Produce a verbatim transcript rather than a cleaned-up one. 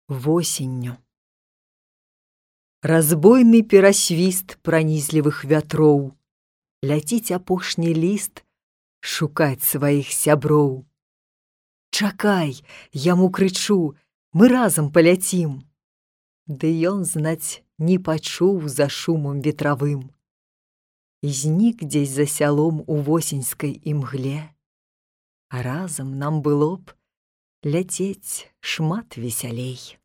Восенню. Разбойны перасвіст пранізлівых вятроў, ляціць апошні ліст шукаць сваіх сяброў. Чакай, яму крычу, мы разам паляцім. Ды ён, знаць, не пачуў за шумам ветравым. І знік дзесь за сялом у восеньскай імгле. А разам нам было б ляцець шмат весялей.